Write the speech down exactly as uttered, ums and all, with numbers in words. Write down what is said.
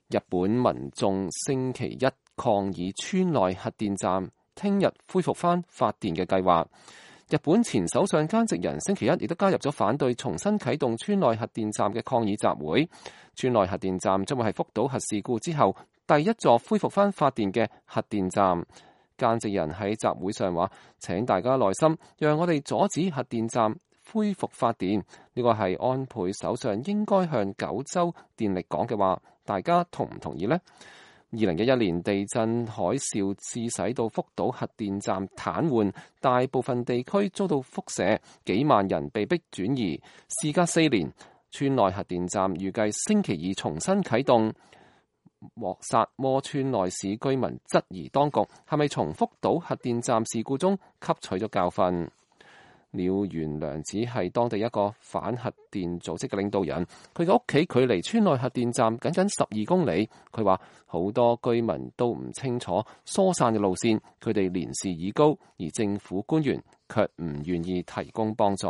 日本民眾星期一抗議村內核電站聽日恢復返發電嘅計劃。日本前首相菅直人星期一亦都加入咗反對重新啟動村內核電站嘅抗議集會。村內核電站將會係福島核事故之後第一座恢復返發電嘅核電站。菅直人喺集會上話：請大家耐心，讓我哋阻止核電站恢復發電。呢個係安倍首相應該向九州電力講嘅話，大家同唔同意呢？二零一一年地震海嘯致使到福島核電站癱瘓，大部分地區遭到輻射，幾萬人被迫轉移。事隔四年，村內核電站預計星期二重新啟動。莫薩摩村內市居民質疑當局係咪從福島核電站事故中吸取咗教訓。鳥原良子係當地一個反核電組織嘅領導人，佢嘅屋企距離村內核電站僅僅十二公里。佢話好多居民都唔清楚疏散嘅路線，佢哋年事已高，而政府官員卻唔願意提供幫助。